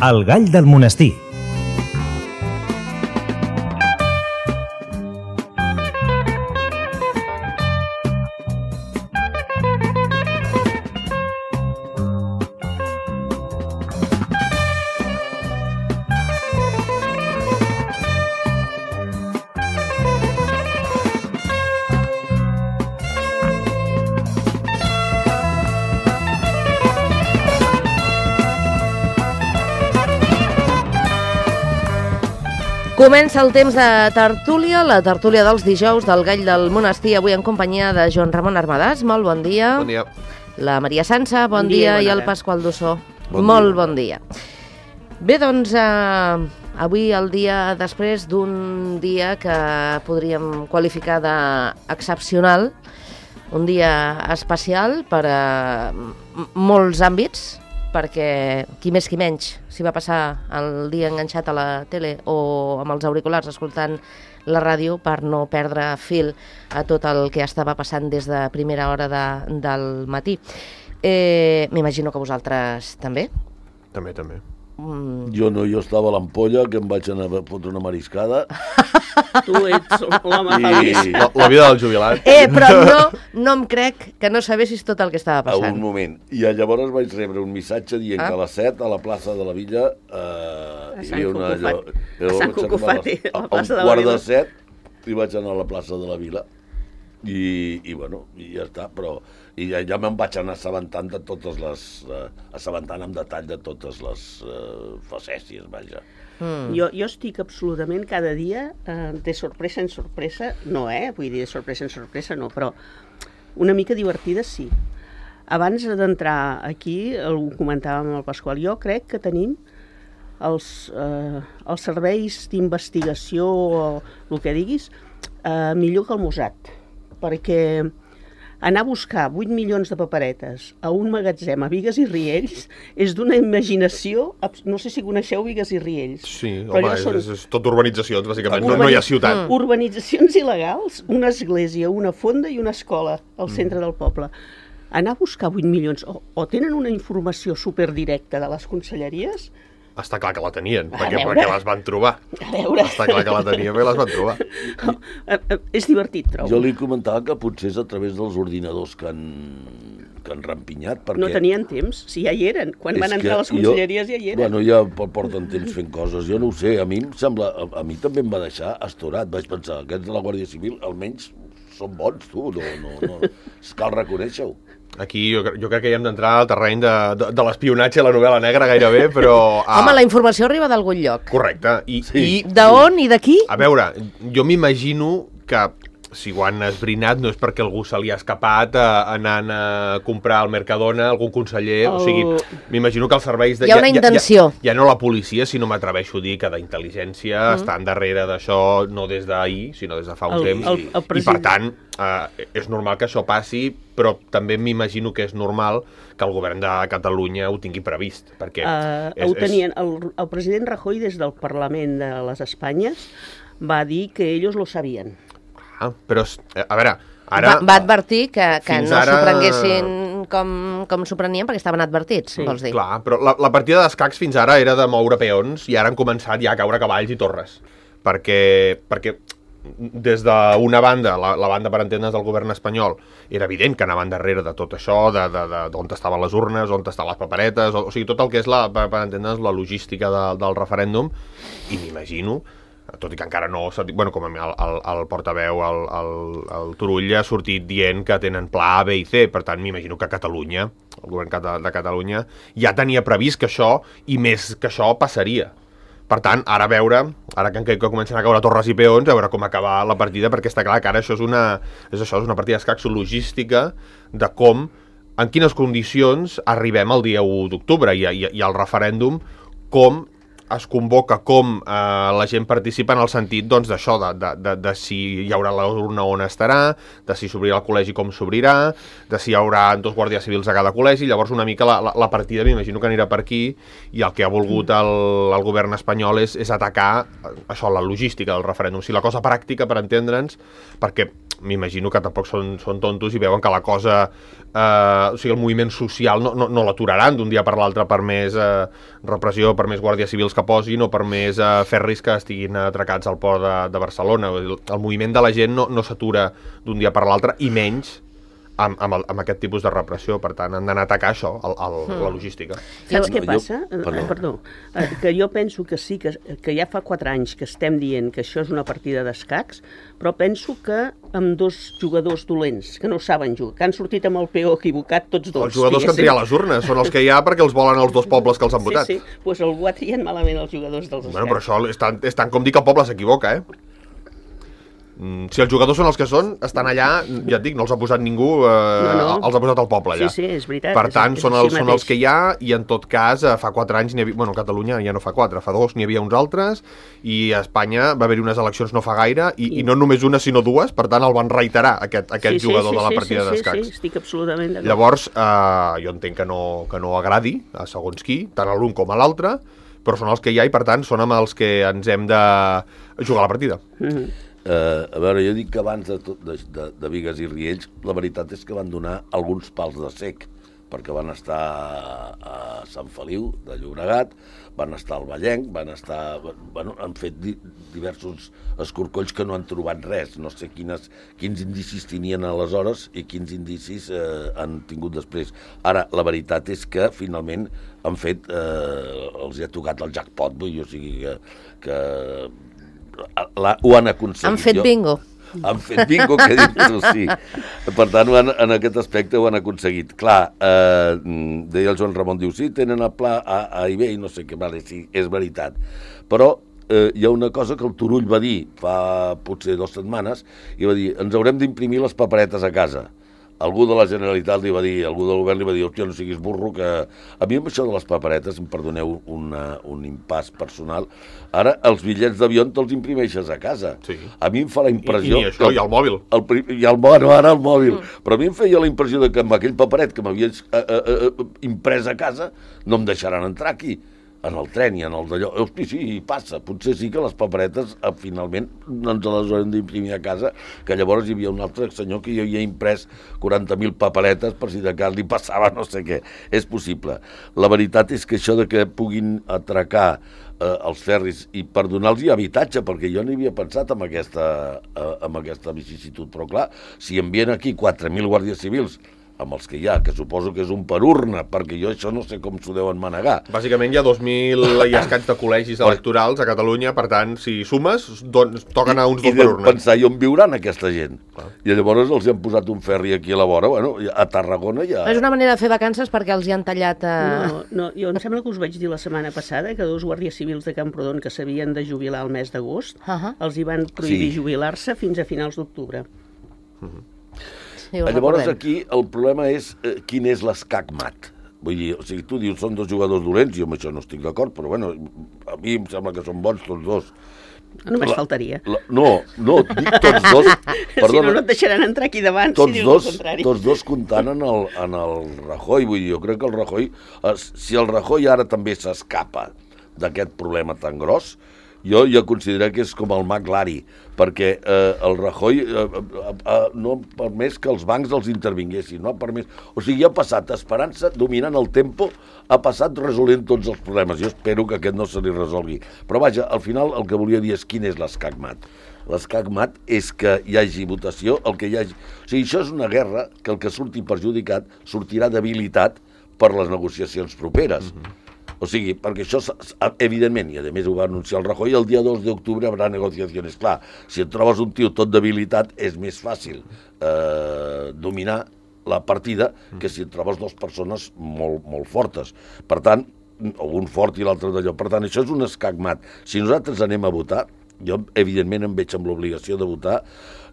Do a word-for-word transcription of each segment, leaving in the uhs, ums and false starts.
El gall del monestir. Comença el temps de tertúlia, la tertúlia dels dijous del Gall del Monestir, avui en companyia de Joan Ramon Armadàs, molt bon dia. Bon dia. La Maria Sança, bon, Bon dia, dia, i el bona Pasqual Dussó, Bon molt dia. bon dia. Bé, doncs, eh, avui el dia després d'un dia que podríem qualificar d'excepcional, un dia especial per a molts àmbits, perquè qui més qui menys s'hi va passar el dia enganxat a la tele o amb els auriculars escoltant la ràdio per no perdre fil a tot el que estava passant des de primera hora de, del matí. Eh, M'imagino que vosaltres també. També, també. Mm. Jo no, jo estava a l'ampolla, que em vaig anar a fotre una mariscada. Tu ets l'home I- feliç. La, la vida del jubilat. Eh, però no, no em crec que no sabessis tot el que estava A un passant. moment. I llavors vaig rebre un missatge dient Ah. que a les set a la plaça de la Villa eh, A hi Sant havia una... Cucufat- allò- a Sant llavors Cucufati, a, a la a plaça un de la quart Vila. de set i vaig anar a la plaça de la Vila. I, i bueno, i ja està, però i ja, ja me'n vaig anar assabentant de totes les... Eh, assabentant amb detall de totes les eh, facècies, vaja. Mm. Jo, jo estic absolutament cada dia eh, de sorpresa en sorpresa, no, eh? Vull dir, de sorpresa en sorpresa no, però una mica divertida sí. Abans d'entrar aquí, ho comentàvem amb el Pasqual, jo crec que tenim els, eh, els serveis d'investigació o el que diguis eh, millor que el Mossad, perquè anar a buscar vuit milions de paperetes a un magatzem a Bigues i Riells és d'una imaginació... abs- No sé si coneixeu Bigues i Riells. Sí, però home, allò és, són és, és tot urbanitzacions, bàsicament. No, Urbani- no hi ha ciutat. Mm. urbanitzacions il·legals, una església, una fonda i una escola al centre del poble. Anar a buscar vuit milions, o, o tenen una informació superdirecta de les conselleries, Està clar que la tenien, A perquè, veure. perquè les van trobar. a veure, Està clar que la tenien, perquè les van trobar. eh, eh, és divertit, trobo. Jo li comentava que potser és a través dels ordinadors que han, que han rampinyat, perquè... No tenien temps, si ja hi eren. Quan És van entrar que a les conselleries ja hi eren. Bueno, ja po- porten temps fent coses. Jo no ho sé, a mi em sembla... A, a mi també em va deixar astorat. Vaig pensar, aquests de la Guàrdia Civil almenys són bons, tu. No, no, no. Cal reconèixer-ho. Aquí jo, cre- jo crec que hi hem d'entrar al terreny de, de, de l'espionatge a la novel·la negra gairebé, però... ah, Home, la informació arriba d'algun lloc. Correcte. I, Sí. i D'on i de qui? A veure, jo m'imagino que si ho han esbrinat no és perquè algú se li ha escapat eh, anant a comprar al Mercadona algun conseller, o El- sigui, m'imagino que els serveis... De, Hi ha una intenció. Ja, ja, ja no la policia, sinó m'atreveixo a dir que d'intel·ligència mm. estan darrere d'això no des d'ahir, sinó des de fa un El- temps, el- el i per president- tant eh, és normal que això passi, però també m'imagino que és normal que el govern de Catalunya ho tingui previst, perquè Uh, és, ho tenien, el, el president Rajoy des del Parlament de les Espanyes va dir que ells lo sabien. Ah, però, eh, a veure, ara... Va, va advertir que, que Fins no ara- s'ho prenguessin com, com s'ho prenien perquè estaven advertits, Sí. vols dir. Clar, però la, la partida d'escacs fins ara era de moure peons i ara han començat ja a caure cavalls i torres. Perquè, perquè des d'una banda, la, la banda per entendre's del govern espanyol, era evident que anaven darrere de tot això, de, de, de, d'on estaven les urnes, on estan les paperetes, o, o sigui, tot el que és la, per, per entendre's la logística de, del referèndum, i m'imagino, tot i que encara no s'ha dit, bueno, com a mi el, el, el portaveu, el, el, el Turull ha sortit dient que tenen pla A, B i C, per tant m'imagino que Catalunya, el govern cata- de Catalunya, ja tenia previst que això, i més que això, passaria. Per tant, ara a veure, ara que, que comencen a caure torres i peons, a veure com acabar la partida, perquè està clar que ara això és una, és això, és una partida d'escacs logística de com, en quines condicions arribem el dia u d'octubre i, i, i el referèndum, com es convoca, com eh, la gent participa en el sentit doncs, d'això, de, de, de, de si hi haurà l'urna on estarà, de si s'obrirà el col·legi com s'obrirà, de si hi haurà dos guàrdies civils a cada col·legi. Llavors una mica la, la, la partida m'imagino que anirà per aquí, i el que ha volgut el, el govern espanyol és, és atacar eh, això, la logística del referèndum. O sigui, la cosa pràctica, per entendre'ns, perquè m'imagino que tampoc són, són tontos i veuen que la cosa, eh, o sigui, el moviment social no, no, no l'aturaran d'un dia per l'altre per més eh, repressió, per més guàrdies civils que posin o per més eh, ferris que estiguin atracats al port de, de Barcelona. El, el moviment de la gent no, no s'atura d'un dia per l'altre, i menys amb, amb, el, amb aquest tipus de repressió. Per tant, han d'anar a atacar això, el, el, mm. la logística. Saps Jo- què jo- passa? perdó. Perdó. Eh, Que jo penso que sí, que, que ja fa quatre anys que estem dient que això és una partida d'escacs, però penso que amb dos jugadors dolents, que no saben jugar, que han sortit amb el peó equivocat tots dos. Els jugadors que han triat les urnes són els que hi ha perquè els volen els dos pobles que els han votat. Sí, sí, doncs pues algú ha triat malament els jugadors dels Bueno, però escacs. això és tant, és tant com dir que el poble s'equivoca, eh? Mm, si els jugadors són els que són, estan allà, ja et dic, no els ha posat ningú, eh, No, no. els ha posat el poble allà. Sí, sí, és veritat, Per és- tant, és són, així els, són mateix. els que hi ha, i en tot cas, eh, fa quatre anys, n'hi havia, bueno, a Catalunya ja no fa quatre, fa dos n'hi havia uns altres, i a Espanya va haver-hi unes eleccions no fa gaire, i, I- i no només una sinó dues, per tant el van reiterar, aquest, aquest sí, jugador sí, de la sí, partida sí, d'escacs. Sí, sí, estic absolutament d'acord. Llavors, eh, jo entenc que no, que no agradi a segons qui, tant a l'un com a l'altre, però són els que hi ha i, per tant, són amb els que ens hem de jugar la partida. Mhm. Uh, a veure, jo dic que abans de, tot, de, de, de Bigues i Riells, la veritat és que van donar alguns pals de sec, perquè van estar a, a Sant Feliu de Llobregat, van estar al Vallenc, van estar... Bueno, han fet di, diversos escorcolls que no han trobat res. No sé quines, quins indicis tenien aleshores i quins indicis eh, han tingut després. Ara, la veritat és que finalment han fet... Eh, els hi ha tocat el jackpot, vull dir, o sigui que... que la, ho han aconseguit. Han fet Jo- bingo. Han fet bingo, que dius tu, sí. Per tant, ho han, en aquest aspecte ho han aconseguit. Clar, eh, deia el Joan Ramon, diu, sí, tenen el pla A, A i B i no sé què, vale, sí, és veritat. Però eh, hi ha una cosa que el Turull va dir fa potser dues setmanes, i va dir, ens haurem d'imprimir les paperetes a casa. Algú de la Generalitat li va dir, algú del govern li va dir, hòstia, no siguis burro, que... A mi amb això de les paperetes, em perdoneu una, un impàs personal, ara els bitllets d'avió te'ls imprimeixes a casa. Sí. A mi em fa la I, impressió... i ni això, que i el mòbil. el, pri- i el, bueno, ara el mòbil. Mm. Però a mi em feia la impressió de que amb aquell paperet que m'havies eh, eh, eh, imprès a casa no em deixaran entrar aquí, en el tren i en el d'allò. Hosti, sí, passa. Potser sí que les paperetes eh, finalment no ens les haurem d'imprimir a casa, que llavors hi havia un altre senyor que jo havia imprès quaranta mil paperetes per si de cas li passava no sé què. És possible. La veritat és que això de que puguin atracar eh, els ferris i per donar-los habitatge, perquè jo no hi havia pensat amb aquesta, eh, amb aquesta vicisitud, però clar, si envien aquí quatre mil guàrdies civils amb els que hi ha, que suposo que és un per urna, perquè jo això no sé com s'ho deuen manegar. Bàsicament hi ha dos mil i escaig de col·legis electorals a Catalunya, per tant, si sumes, doncs, toquen a uns I dos per deuen urna. pensar, i on viuran aquesta gent? Clar. I llavors els han posat un ferri aquí a la vora, bueno, a Tarragona ja... És una manera de fer vacances perquè els hi han tallat... Eh... No, no, jo em sembla que us vaig dir la setmana passada que dos guàrdies civils de Camprodon que s'havien de jubilar al mes d'agost, Uh -huh. els hi van prohibir Sí. jubilar-se fins a finals d'octubre. Sí, ho Llavors recordem. aquí el problema és eh, quin és l'escac-mat. Vull dir, o sigui, tu dius són dos jugadors dolents, jo amb això no estic d'acord, però bueno, a mi em sembla que són bons tots dos. Només La- faltaria. La, no, no, dic tots dos... Si no, no et deixaran entrar aquí davant tots si dius dos, el contrari. tots dos comptant en el, en el Rajoy. Vull dir, jo crec que el Rajoy... eh, Si el Rajoy ara també s'escapa d'aquest problema tan gros, jo ja considero que és com el mag Lari, perquè eh, el Rajoy eh, eh, eh, no ha permès que els bancs els intervinguessin, no ha permès... O sigui, ha passat esperant-se, dominant el tempo, ha passat resolent tots els problemes. Jo espero que aquest no se li resolgui. Però vaja, al final el que volia dir és quin és l'escac-mat. L'escac-mat és que hi hagi votació, el que hi hagi... O sigui, això és una guerra que el que surti perjudicat sortirà debilitat per les negociacions properes. Mm-hmm. O sigui, perquè això, evidentment, i a més ho va anunciar el Rajoy, el dia dos d'octubre haurà negociacions. Clar, si et trobes un tio tot debilitat, és més fàcil eh, dominar la partida que si et trobes dues persones molt, molt fortes. Per tant, o un fort i l'altre d'allò. Per tant, això és un escac-mat. Si nosaltres anem a votar, jo, evidentment, em veig amb l'obligació de votar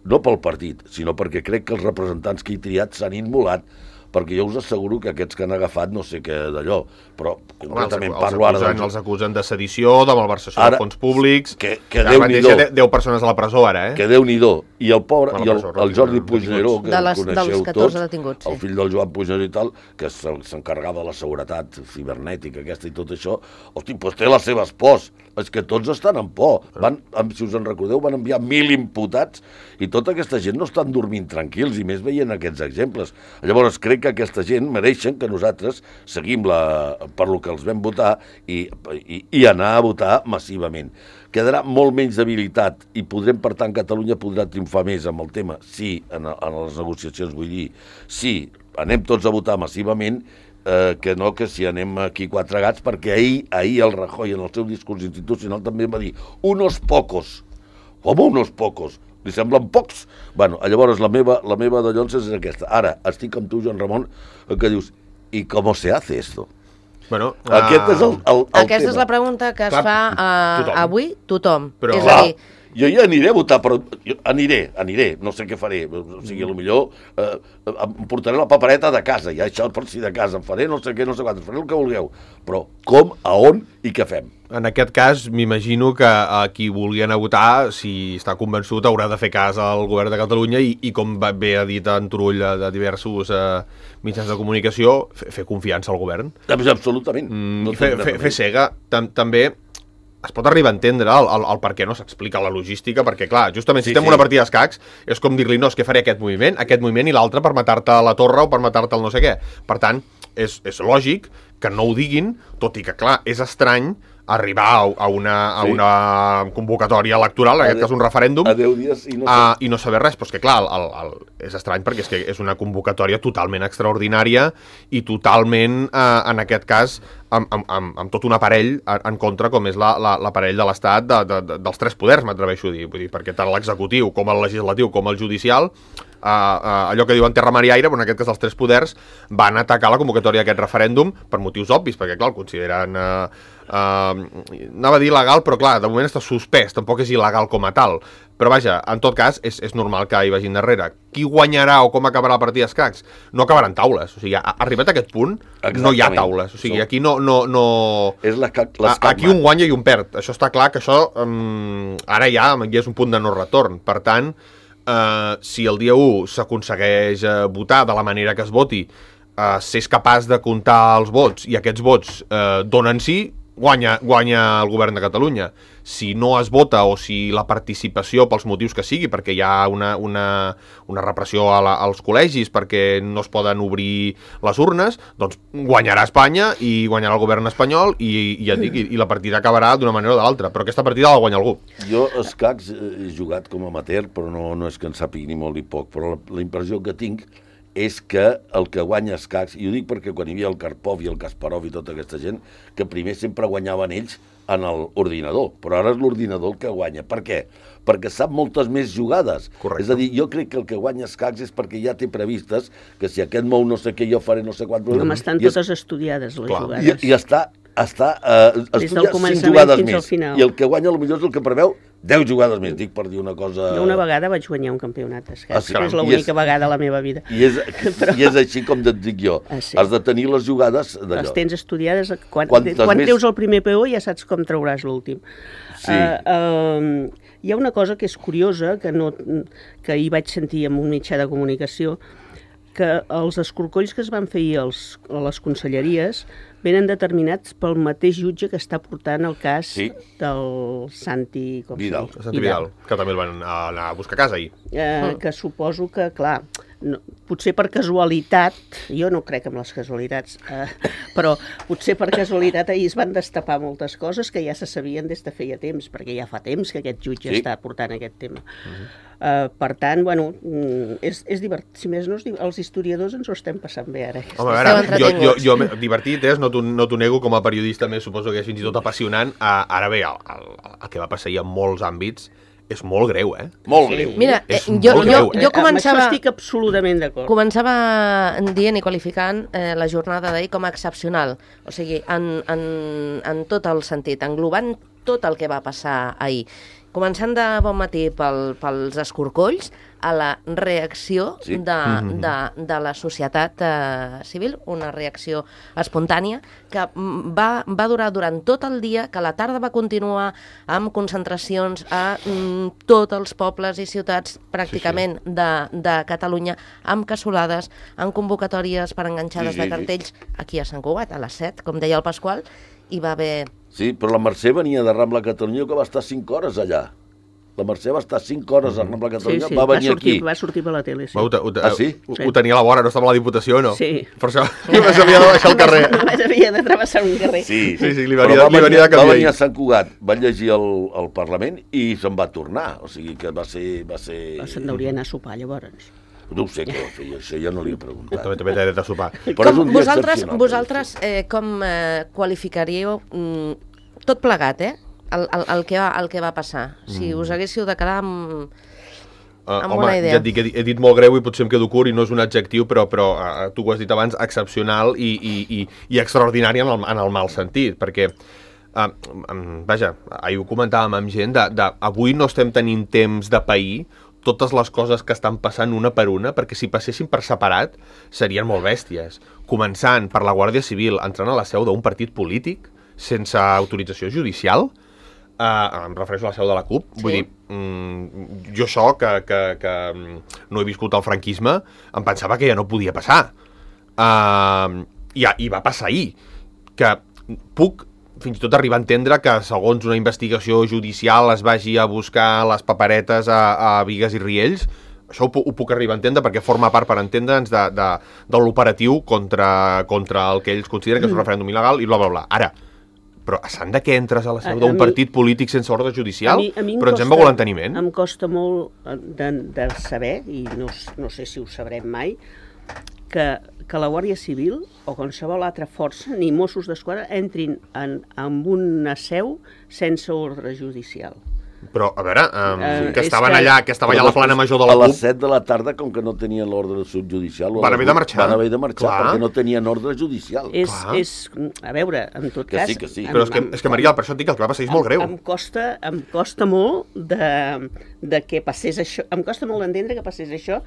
no pel partit, sinó perquè crec que els representants que he triat s'han immolat, perquè jo us asseguro que aquests que han agafat no sé què d'allò, però concretament Home, els, parlo ara... acusen, dels- els acusen de sedició, de malversació Ara, de fons públics... que- que van Déu-n'hi-do. deixar deu persones a la presó ara, eh? Que Déu-n'hi-do. I el pobre, A la i el, presó, el Jordi detinguts. Puigneró, que De el les- coneixeu dels catorze tots, detinguts, sí. el fill del Joan Puigneró i tal, que se- s'encarregava de la seguretat cibernètica aquesta i tot això, hosti, doncs té les seves pors. és que tots estan en por. Van, si us en recordeu, van enviar mil imputats i tota aquesta gent no estan dormint tranquils, i més veient aquests exemples. Llavors, crec que aquesta gent mereixen que nosaltres seguim la, per lo que els vam votar i, i, i anar a votar massivament. Quedarà molt menys debilitat i podrem, per tant, Catalunya podrà triomfar més amb el tema, sí, en, en les negociacions, vull dir, sí, anem tots a votar massivament, eh, que no que si anem aquí quatre gats, perquè ahir, ahir el Rajoy en el seu discurs institucional també va dir unos pocos, com unos pocos, li semblen pocs? Bueno, llavors la meva, la meva de Llonses és aquesta. Ara, estic amb tu, Joan Ramon, que dius, i com se hace esto? Bueno, Aquest uh... és el, el, el Aquesta tema. és la pregunta que es Clar, fa uh, tothom. avui tothom. Però- És Clar, a dir, jo ja aniré a votar, però jo aniré, aniré, no sé què faré, o sigui, potser eh, em portaré la papereta de casa, ja això per si de casa, em faré no sé què, no sé quantos, faré el que vulgueu, però com, a on i què fem? En aquest cas, m'imagino que a qui vulgui anar a votar, si està convençut, haurà de fer cas al govern de Catalunya i, i com va, bé ha dit en Turull de, de diversos eh, mitjans de comunicació, fer, fer confiança al govern. Absolutament. Mm, No i fer, tinc fer, res fer cega. Tam, també es pot arribar a entendre el, el, el per què no s'explica la logística, perquè, clar, justament si Sí, estem sí. una partida d'escacs, és com dir-li, no, és que faré aquest moviment, aquest moviment i l'altre per matar-te a la torre o per matar-te al no sé què. Per tant, és, és lògic que no ho diguin, tot i que, clar, és estrany arribar a, a, una, a Sí. una convocatòria electoral, en aquest A cas un referèndum, A deu dies i no sé. Uh, i no saber res, però és que clar, el, el, és estrany perquè és que és una convocatòria totalment extraordinària i totalment, uh, en aquest cas, amb, amb, amb, amb tot un aparell en, en contra, com és la- la- l'aparell de l'Estat de, de, de, dels tres poders, m'atreveixo a dir. Vull dir, perquè tant l'executiu com el legislatiu com el judicial, uh, uh, allò que diuen terra, mar i aire, però en aquest cas els tres poders van atacar la convocatòria d'aquest referèndum per motius obvis, perquè clar, el consideren... Uh, Uh, anava a dir il·legal, però clar, de moment està suspès, tampoc és il·legal com a tal, però vaja, en tot cas és, és normal que hi vagin darrere. Qui guanyarà o com acabarà la partida d'escacs? No acabaran taules, o sigui, a- arribat a aquest punt no hi ha Exactament. taules, o sigui, aquí no... no, no... És l'escac, A- l'escac aquí un guanya i un perd, això està clar que això um, ara ja, ja és un punt de no retorn, per tant, uh, si el dia u s'aconsegueix uh, votar de la manera que es voti, uh, s'és capaç de comptar els vots i aquests vots uh, donen sí, guanya, guanya el govern de Catalunya. Si no es vota o si la participació pels motius que sigui, perquè hi ha una, una, una repressió a la, als col·legis, perquè no es poden obrir les urnes, doncs guanyarà Espanya i guanyarà el govern espanyol i, i, ja et dic, i, i la partida acabarà d'una manera o de l'altra, però aquesta partida la guanya algú. Jo escacs he jugat com a amateur, però no, no és que en sàpigui ni molt ni poc, però la, la impressió que tinc és que el que guanya escacs, i ho dic perquè quan hi havia el Karpov i el Kasparov i tota aquesta gent, que primer sempre guanyaven ells en l'ordinador, però ara és l'ordinador el que guanya. Per què? Perquè sap moltes més jugades. Correcte. És a dir, jo crec que el que guanya escacs és perquè ja té previstes que si aquest mou no sé què, jo faré no sé quant... Com estan i és- totes estudiades, les Clar. jugades. I, i està, està uh, Des del estudiat cinc començament jugades fins al més. final. I el que guanya potser és el que preveu deu jugades més, dic per dir una cosa... Jo una vegada vaig guanyar un campionat d'escacs, Ah, sí, que és caram. I l'única és- vegada a la meva vida. I és, Però- I és així com et dic jo. Ah, sí. Has de tenir les jugades Les d'allò. tens estudiades, quan, Quantes quan més- treus el primer peó ja saps com trauràs l'últim. Sí. Uh, uh, hi ha una cosa que és curiosa, que, no, que ahir vaig sentir en un mitjà de comunicació, que els escorcolls que es van fer ahir als, a les conselleries venen determinats pel mateix jutge que està portant el cas Sí. del Santi... Com Vidal. se diu? Santi Vidal, que també el van anar a buscar a casa ahir. Eh, que suposo que, clar, no, potser per casualitat, jo no crec en les casualitats, eh, però potser per casualitat ahir es van destapar moltes coses que ja se sabien des de feia temps, perquè ja fa temps que aquest jutge Sí. està portant aquest tema. Uh-huh. eh, per tant, bueno, mm, és, és divertit. Si més no, és di- els historiadors ens ho estem passant bé ara. Home, a Esteu veure, jo, jo, entretinguts. jo, m'he- divertit és, no t'ho no t'ho nego, com a periodista més suposo que és fins i tot apassionant. Uh, ara bé, el, el, el que va passar ahir en molts àmbits és molt greu, eh? Molt greu. Mira, eh, És jo, molt jo, greu, eh? jo Amb començava... això estic absolutament d'acord. Començava dient i qualificant eh, la jornada d'ahir com a excepcional, o sigui, en, en, en tot el sentit, englobant tot el que va passar ahir. Començant de bon matí pel, pels escorcolls a la reacció Sí. de, de, de la societat eh, civil, una reacció espontània que mm, va, va durar durant tot el dia, que a la tarda va continuar amb concentracions a mm, tots els pobles i ciutats pràcticament de, de Catalunya, amb cassolades, amb convocatòries per enganxades Sí, sí, de sí. cartells aquí a Sant Cugat, a les set, com deia el Pasqual, hi va haver... Sí, però la Mercè venia de Rambla Catalunya, que va estar cinc hores allà. La Mercè va estar cinc hores a Rambla Catalunya, sí, sí, va venir va sortir, aquí. Va sortir per la tele, sí. Va, ho, ho, Ah, sí? Ho, ho tenia a la vora, no estava a la Diputació, no? Sí. Per això només havia de baixar al carrer. Només havia de travessar un carrer. Sí, Sí, sí, li Però venia- va li venia de Va canviar venir ahir. a Sant Cugat, va llegir el, el Parlament i se'n va tornar. O sigui que va ser... Va ser... Se'n hauria d'anar a sopar, llavors. No ho sé què va fer, això ja no li he preguntat. També també t'he de sopar. Però és un Com, dia vosaltres, excepcional. vosaltres eh, com eh, qualificaríeu mm, tot plegat, eh? El, el, el, que va, el que va passar. Si us haguéssiu de quedar amb, Uh, amb home, una idea. ja et dic, he, dit- he dit molt greu i potser em quedo curt i no és un adjectiu, però, però uh, tu ho has dit abans, excepcional i, i, i, i extraordinari en el, en el mal sentit, perquè, uh, um, vaja, ahir ho comentàvem amb gent, de, de, avui no estem tenint temps de pair totes les coses que estan passant una per una, perquè si passessin per separat serien molt bèsties. Començant per la Guàrdia Civil entrant a la seu d'un partit polític sense autorització judicial, Uh, em refereixo a la seu de la C U P, sí. Vull dir, mm, jo això que, que, que no he viscut el franquisme, em pensava que ja no podia passar. Uh, i, I va passar ahir, que puc fins i tot arribar a entendre que segons una investigació judicial es vagi a buscar les paperetes a, a Bigues i Riells. Això ho, pu- ho puc arribar a entendre perquè forma part, per entendre'ns, de, de, de l'operatiu contra, contra el que ells consideren que és un referèndum il·legal i bla, bla, bla. Ara, però s'han de que entres a la seu A- a d'un mi- partit polític sense ordre judicial? A mi- a mi em Però ens hem costa- begut l'enteniment? Em costa molt eh, de, de saber, i no, s- no sé si ho sabrem mai, que, que la Guàrdia Civil o qualsevol altra força, ni Mossos d'Esquadra, entrin en, en una seu sense ordre judicial. Però, a veure, um, Eh, que és estaven que- allà, que estava allà a la plana major de la A C U les P, set de la tarda, com que no tenien l'ordre subjudicial... o a Van les haver de vuit, marxar. Van haver de marxar, Clar. perquè no tenien ordre judicial. És, Clar. és, a veure, en tot Que cas... sí, que sí. però és que, és que Marial, per això et dic que el que va passar és molt greu. Em, em, costa, em costa molt de, de que passés això, em costa molt d'entendre que passés això,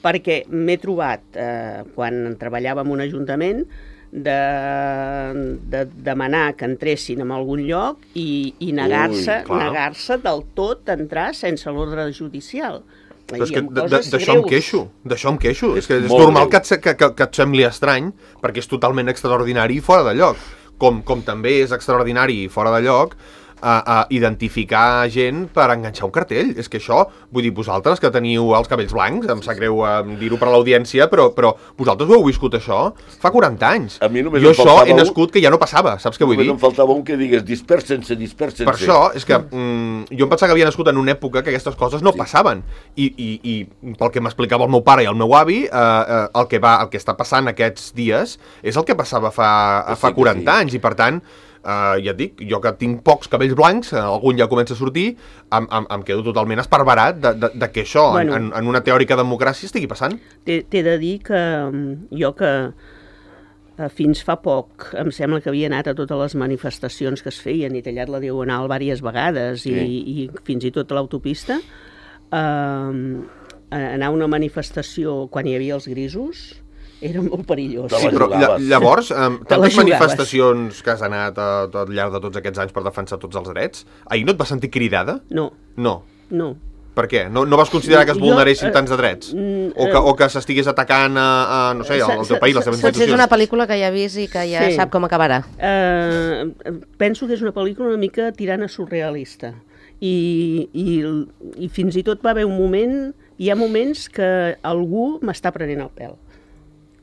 perquè m'he trobat, eh, quan treballava en un ajuntament, de, de demanar que entressin en algun lloc i, i negar-se Ui, clar. negar-se del tot a entrar sense l'ordre judicial. Però és I que amb d- d- coses d'això em greus. queixo, d'això em queixo. És que és molt normal greu. que et, se- que, que, que et sembli estrany, perquè és totalment extraordinari i fora de lloc. Com, com també és extraordinari i fora de lloc a, a identificar gent per enganxar un cartell. És que això, vull dir, vosaltres que teniu els cabells blancs, em sap greu eh, dir-ho per a l'audiència, però, però vosaltres ho heu viscut això fa quaranta anys. A mi només jo em això faltava he un- nascut que ja no passava, saps què vull Només dir? em faltava un que digués dispersen-se, dispersen-se. Per això, és que mm, jo em pensava que havia nascut en una època que aquestes coses no sí. passaven. I, i, I pel que m'explicava el meu pare i el meu avi, eh, eh, el, que va, el que està passant aquests dies és el que passava fa, Que sí, fa que quaranta sí. anys. I per tant, eh, ja et dic, jo que tinc pocs cabells blancs, eh, algun ja comença a sortir, em, em, em quedo totalment esparverat de, de, de que això, Bueno. en, en una teòrica democràcia, estigui passant. T'he t'he de dir que mm, jo que eh, fins fa poc em sembla que havia anat a totes les manifestacions que es feien i tallat la diagonal diverses vegades Sí. i, i fins i tot a l'autopista, eh, anar a una manifestació quan hi havia els grisos era molt perillós. Te Sí, la però lla, jugaves. llavors, eh, Te la tantes jugaves. manifestacions que has anat a, al llarg de tots aquests anys per defensar tots els drets, ahir no et vas sentir cridada? No, No. no. Per què? No, no vas considerar que es Jo, vulneressin eh, tants de drets? mm, O que, o que s'estigués atacant a, a no sé, al, al teu país, les teves Potser és institucions? una pel·lícula que ja ha vist i que ja Sí. sap com acabarà. Eh, penso que és una pel·lícula una mica tirant a surrealista. I, i, I fins i tot va haver un moment, hi ha moments que algú m'està prenent el pèl.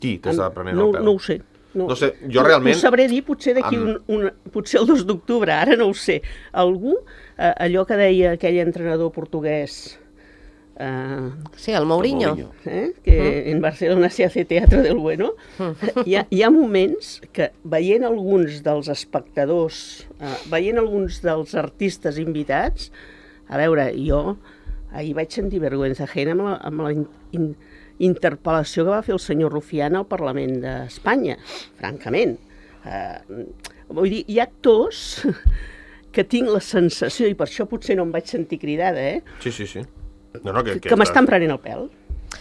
Qui t'està prenent no, el pèl? No ho sé. No sé, jo realment- Ho sabré dir potser d'aquí Amb- un, un... Potser el dos d'octubre, ara no ho sé. Algú, eh, allò que deia aquell entrenador portuguès, eh, Sí, el Mourinho. Mourinho. eh, que en Barcelona se hace teatro del bueno, hi ha, hi ha moments que veient alguns dels espectadors, eh, veient alguns dels artistes invitats, a veure, jo ahir vaig sentir vergüenza ajena amb la, amb la in, in, interpel·lació que va fer el senyor Rufián al Parlament d'Espanya, francament. Eh, vull dir, hi ha actors que tinc la sensació, i per això potser no em vaig sentir cridada, eh, Sí, sí, sí. No, no, que, que, que m'estan prenent el pèl.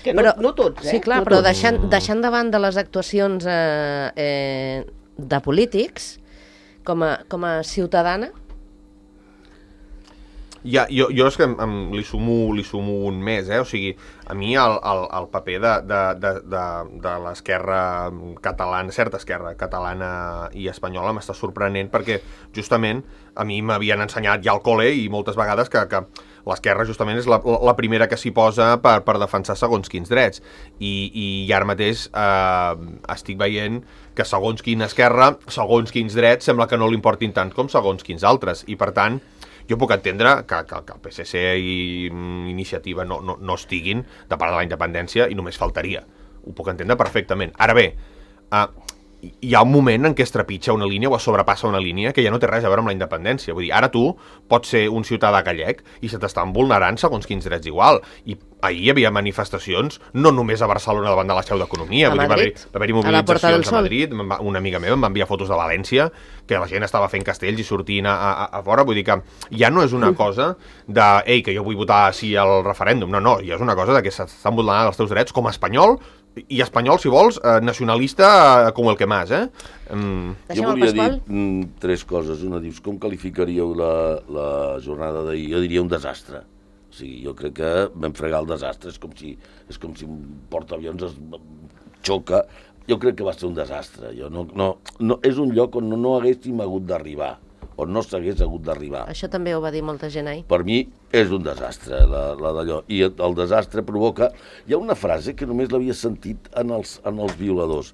Que no, Però- no tots, eh? Sí, clar, no però tots. deixant, deixant de banda les actuacions eh, eh, de polítics, com a, com a ciutadana, Ja, jo, jo és que em, em, li, sumo, li sumo un més, eh? O sigui, a mi el, el, el paper de, de, de, de, de l'esquerra catalana, certa esquerra catalana i espanyola m'està sorprenent perquè justament a mi m'havien ensenyat ja al col·le i moltes vegades que, que l'esquerra justament és la, la primera que s'hi posa per, per defensar segons quins drets i, i ara mateix eh, estic veient que segons quina esquerra, segons quins drets sembla que no li importin tant com segons quins altres i per tant jo puc entendre que, que, que el P S C i Iniciativa no, no, no estiguin de part de la independència i només faltaria. Ho puc entendre perfectament. Ara bé, eh, hi ha un moment en què es trepitja una línia o es sobrepassa una línia que ja no té res a veure amb la independència. Vull dir, ara tu pots ser un ciutadà gallec i se t'estan vulnerant segons quins drets igual. I ahir hi havia manifestacions no només a Barcelona davant de la seu d'Economia. A Madrid, va haver-hi mobilitzacions a Madrid. Una amiga meva em va enviar fotos de València que la gent estava fent castells i sortint a, a, a fora. Vull dir que ja no és una cosa de ei, que jo vull votar sí al referèndum. No, no, ja és una cosa de que s'estan vulnerant els teus drets com a espanyol i espanyol, si vols, eh, nacionalista eh, com el que más, eh? Mm. Jo volia dir mm, tres coses. Una, dius, com qualificaríeu la, la jornada d'ahir? Jo diria un desastre. O sigui, jo crec que vam fregar el desastre. És com si, és com si un portaavions es xoca. Jo crec que va ser un desastre. Jo no, no, no, és un lloc on no, no haguéssim hagut d'arribar, on no s'hagués hagut d'arribar. Això també ho va dir molta gent ahir. Per mi és un desastre, la, la d'allò. I el desastre provoca... Hi ha una frase que només l'havia sentit en els, en els violadors.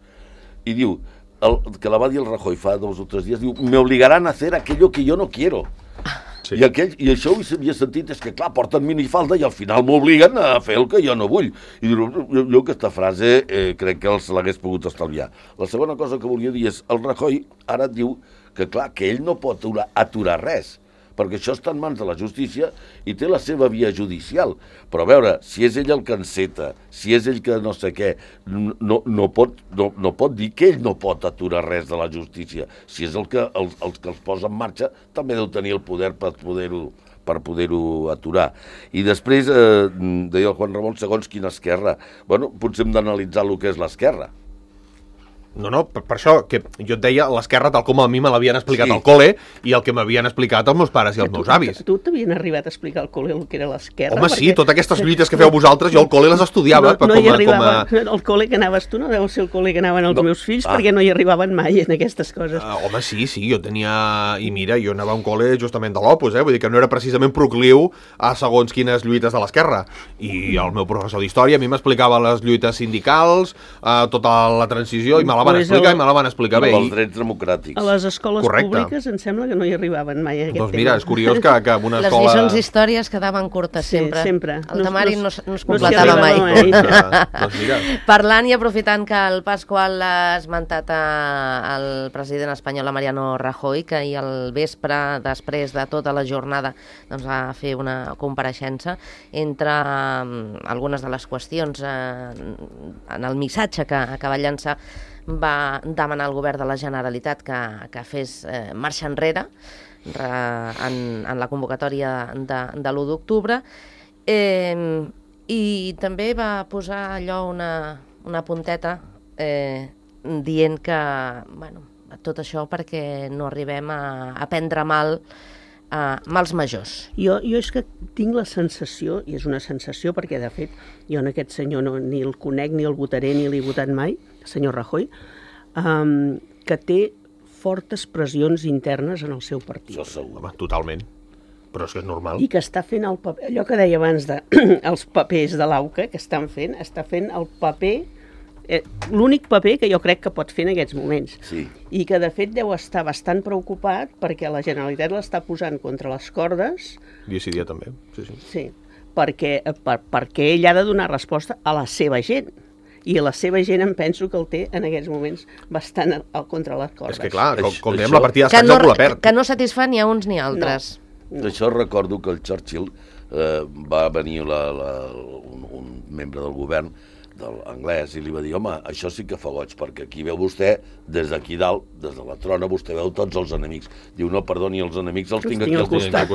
I diu, el, que la va dir el Rajoy fa dos o tres dies, diu, me obligaran a hacer aquello que yo no quiero. Sí. I, aquell, I això ho havia sentit, és que clar, porten minifalda i al final m'obliguen a fer el que jo no vull. I diu, jo, jo aquesta frase eh, crec que els l'hagués pogut estalviar. La segona cosa que volia dir és, el Rajoy ara diu que clar, que ell no pot aturar, aturar res, perquè això està en mans de la justícia i té la seva via judicial. Però a veure, si és ell el que enceta, si és ell que no sé què, no, no, pot, no, no pot dir que ell no pot aturar res de la justícia. Si és el que els, els que els posa en marxa, també deu tenir el poder per poder-ho per poder-ho aturar. I després, eh, deia el Juan Ramon, segons quina esquerra. Bueno, potser hem d'analitzar el que és l'esquerra. No, no, per, per això, que jo et deia l'esquerra tal com a mi me l'havien explicat sí. al col·le i el que m'havien explicat els meus pares i els meus avis. Tu t'havien arribat a explicar al col·le el que era l'esquerra? Home, sí, totes aquestes lluites que feu vosaltres, jo al col·le les estudiava. No, no com hi a, arribava, com a... el col·le que anaves tu no deu ser el col·le que anaven els no. meus fills, ah. perquè no hi arribaven mai en aquestes coses. Uh, home, sí, sí, jo tenia... I mira, jo anava a un col·le justament de l'Opus, eh? Vull dir que no era precisament procliu a segons quines lluites de l'esquerra. I el meu professor d'història a mi m'explicava les lluites sindicals, uh, tota la transició, i me la van pues explicar el... i me la van explicar bé. Els drets democràtics. A les escoles Correcte. Públiques em sembla que no hi arribaven mai a aquest doncs tema. mira, és curiós que, que en una les escola... Les lliçons d'històries quedaven curtes sí, sempre. sempre. El temari no, no, no es completava no mai. mai. Doncs, doncs mira. Parlant i aprofitant que el Pasqual ha esmentat al president espanyol, Mariano Rajoy, que ahir al vespre, després de tota la jornada, doncs, va fer una compareixença entre um, algunes de les qüestions eh, en el missatge que, que va llançar, va demanar al govern de la Generalitat que, que fes eh, marxa enrere re, en, en la convocatòria de, de l'u d'octubre eh, i també va posar allò una, una punteta eh, dient que bueno, tot això perquè no arribem a, a prendre mal Uh, mals majors. Jo, jo és que tinc la sensació, i és una sensació perquè de fet jo en aquest senyor no, ni el conec, ni el votaré, ni l'he votat mai, el senyor Rajoy, um, que té fortes pressions internes en el seu partit. Això segur. Home, totalment. Però és que és normal. I que està fent el paper, allò que deia abans de els papers de l'AUCA que estan fent, està fent el paper Eh, l'únic paper que jo crec que pot fer en aquests moments. Sí. I que de fet deu estar bastant preocupat perquè la Generalitat l'està posant contra les cordes. Dia sí dia també, sí, sí. Sí, perquè, per, perquè ell ha de donar resposta a la seva gent. I la seva gent em penso que el té en aquests moments bastant al, al contra les cordes. És que clar, com, com dèiem, això... la partida que d'escacs no, algú la perd. Que no satisfà ni a uns ni a altres. No. No. D'això recordo que el Churchill eh, va venir la, la, un, un membre del govern de l'anglès i li va dir, home, això sí que fa goig, perquè aquí veu vostè, des d'aquí dalt, des de la trona, vostè veu tots els enemics. Diu, no, perdoni, els enemics els, els tinc aquí al costat.